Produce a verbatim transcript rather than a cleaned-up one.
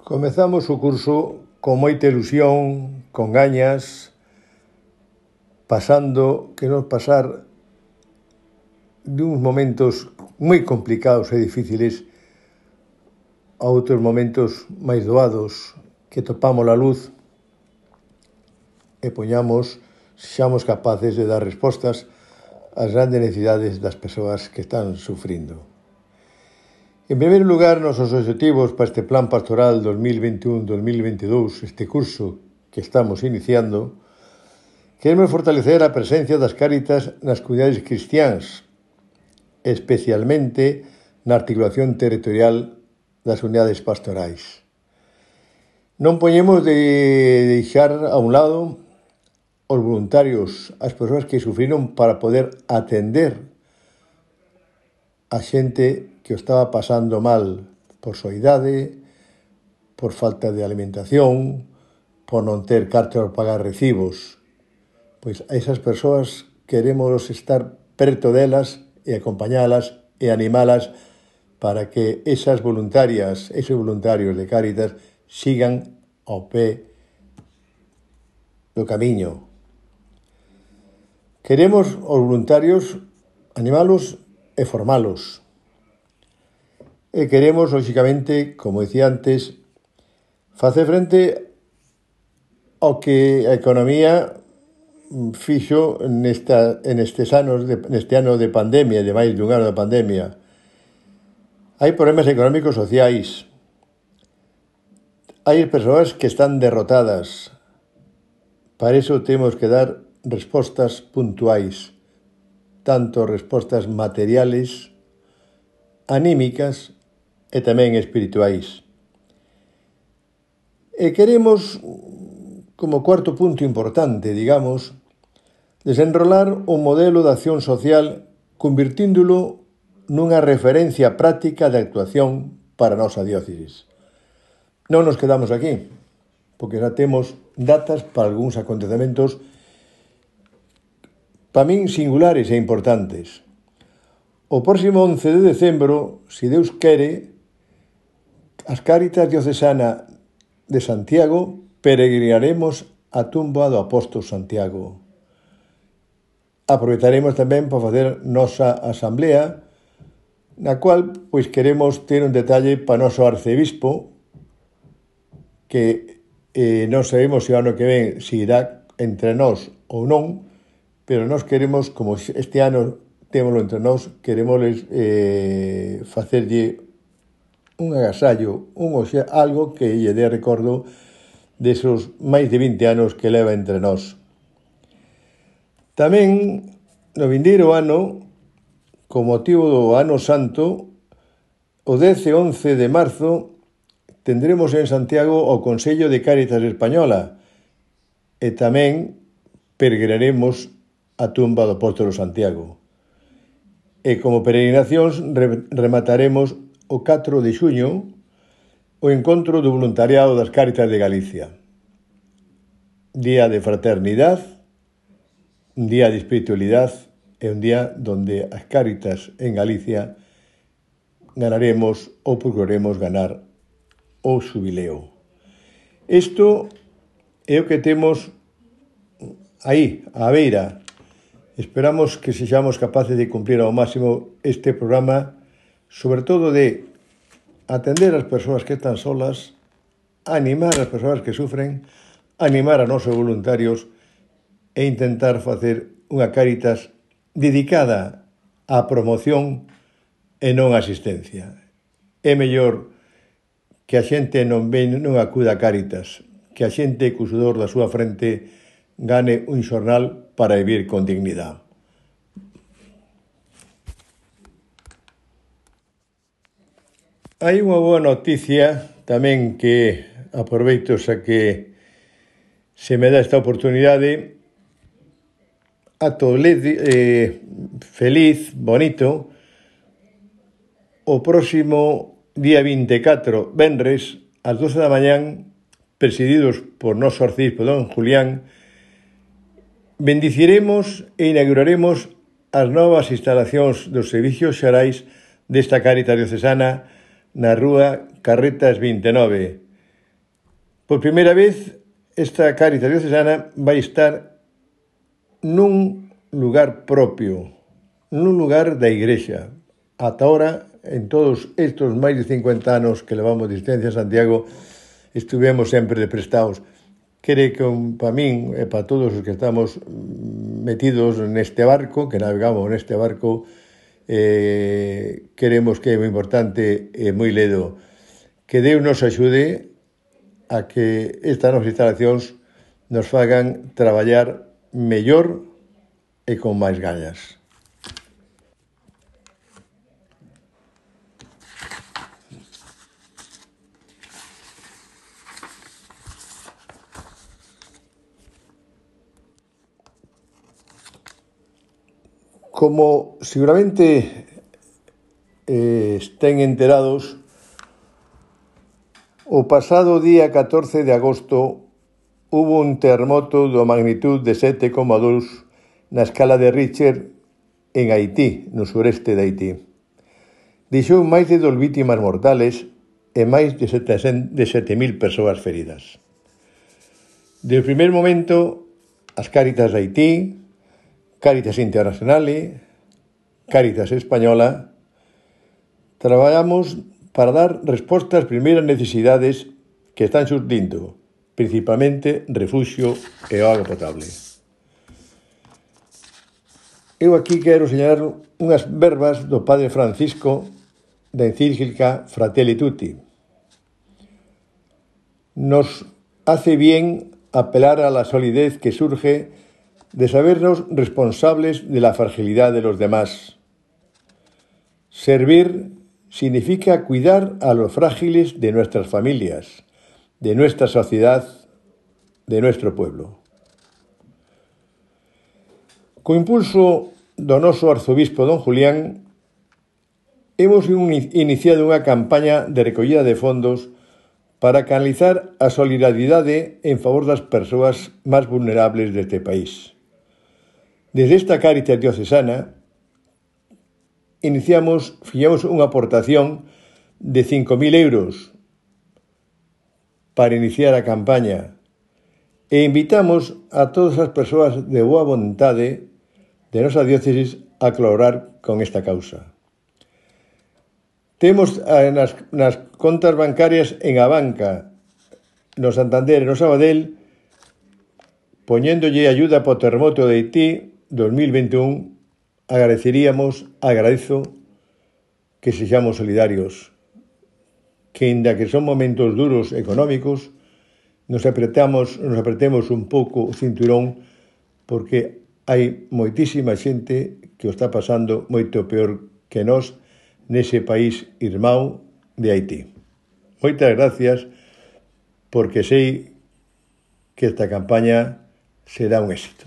Comezamos o curso con moita ilusión, con gañas, pasando, queremos pasar de uns momentos moi complicados e difíciles a outros momentos máis doados, que topamos a luz e poñamos, sexamos capaces de dar respostas ás grandes necesidades das persoas que están sufrindo. En primeiro lugar, nosos objetivos para este Plan Pastoral dos mil veintiún dos mil veintidous, este curso que estamos iniciando, queremos fortalecer a presencia das Cáritas nas comunidades cristiáns, especialmente na articulación territorial das unidades pastorais. Non poñemos de deixar a un lado os voluntarios, as persoas que sufriron para poder atender a xente que o estaba pasando mal por súa idade, por falta de alimentación, por non ter cartas para pagar recibos. Pois a esas persoas queremos estar perto delas e acompañalas e animalas para que esas voluntarias, esos voluntarios de Cáritas sigan ao pé do camiño. Queremos os voluntarios animalos e formalos. E queremos, lóxicamente, como dicía antes, facer frente ao que a economía fixo nesta, nestes anos de, neste ano de pandemia, de máis dun ano de pandemia. Hai problemas económicos sociais. Hai persoas que están derrotadas. Para iso temos que dar respostas puntuais, tanto respostas materiales, anímicas e tamén espirituais. E queremos, como cuarto punto importante, digamos, desenrolar un modelo de acción social convirtíndolo nunha referencia práctica de actuación para a nosa diócesis. Non nos quedamos aquí, porque xa temos datas para algúns acontecementos para min singulares e importantes. O próximo once de decembro, se Deus quere, as Cáritas Diocesana de Santiago peregrinaremos a tumba do apóstolo Santiago. Aproveitaremos tamén para facer nosa asamblea, na cual pois queremos ter un detalle para noso arcebispo, que eh, non sabemos se o ano que ven se irá entre nós ou non, pero nós queremos, como este ano témolo entre nós, queremos eh, facerlle un agasallo, un oxe, algo que lle dé recordo desos máis de vinte anos que leva entre nós. Tamén, no vindeiro ano, con motivo do Ano Santo, o dez e once de marzo, tendremos en Santiago o Consello de Cáritas Española e tamén peregrinaremos a tumba do apóstolo Santiago. E como peregrinacións remataremos o catro de xuño o encontro do voluntariado das Cáritas de Galicia. Día de fraternidade, un día de espiritualidade e un día donde as Cáritas en Galicia ganaremos ou procuraremos ganar o xubileo. Isto é o que temos aí, á beira. Esperamos que sexamos capaces de cumplir ao máximo este programa, sobre todo de atender as persoas que están solas, animar as persoas que sufren, animar a nosos voluntarios e intentar facer unha Cáritas dedicada á promoción e non á asistencia. É mellor que a xente non ven, non acuda a Cáritas, que a xente co sudor da súa frente gane un xornal para vivir con dignidade. Hai unha boa noticia tamén que aproveito xa que se me dá esta oportunidade a todos eh, feliz, bonito, o próximo día vinte e catro, venres, ás doce da mañán, presididos por noso arcebispo don Julián, bendiciremos e inauguraremos as novas instalacións dos servicios xerais desta Cáritas Diocesana na rúa Carretas vinte e nove. Por primeira vez, esta Cáritas diocesana vai estar nun lugar propio, nun lugar da Igrexa. Ata ahora, en todos estes máis de cincuenta anos que levamos de existencia en Santiago, estuvemos sempre de prestados. Quere que para min e para todos os que estamos metidos neste barco, que navegamos neste barco, eh, queremos que é moi importante e moi ledo que Deus nos axude a que estas novas instalacións nos fagan traballar mellor e con máis gañas. Como seguramente eh, estén enterados, o pasado día catorce de agosto hubo un terremoto de magnitud de sete coma dous na escala de Richter en Haití, no sureste de Haití. Deixou máis de dos vítimas mortales e máis de sete mil persoas feridas. Desde o primeiro momento, as Cáritas de Haití, Cáritas Internacional, Cáritas Española, traballamos para dar resposta ás primeiras necesidades que están surdindo, principalmente refuxio e auga potable. Eu aquí quero señalar unhas verbas do Padre Francisco da encíclica Fratelli Tutti. Nos hace bien apelar a la solidez que surge de sabernos responsables de la fragilidad de los demás. Servir significa cuidar a los frágiles de nuestras familias, de nuestra sociedad, de nuestro pueblo. Co impulso do noso arzobispo don Julián, hemos iniciado unha campaña de recollida de fondos para canalizar a solidaridade en favor das persoas máis vulnerables deste país. Desde esta Cáritas diocesana, iniciamos, fixemos unha aportación de cinco mil euros para iniciar a campaña e invitamos a todas as persoas de boa vontade de nosa diócesis a colaborar con esta causa. Temos nas, nas contas bancarias en Abanca, no Santander e no Sabadell, poñéndolle ayuda para o terremoto de Haití dos mil vinte e un, agradeceríamos, agradezo que sexamos solidarios, que ainda que son momentos duros económicos, nos apretamos, nos apretemos un pouco o cinturón, porque hai moitísima xente que o está pasando moito peor que nós nese país irmán de Haití. Moitas gracias, porque sei que esta campaña será un éxito.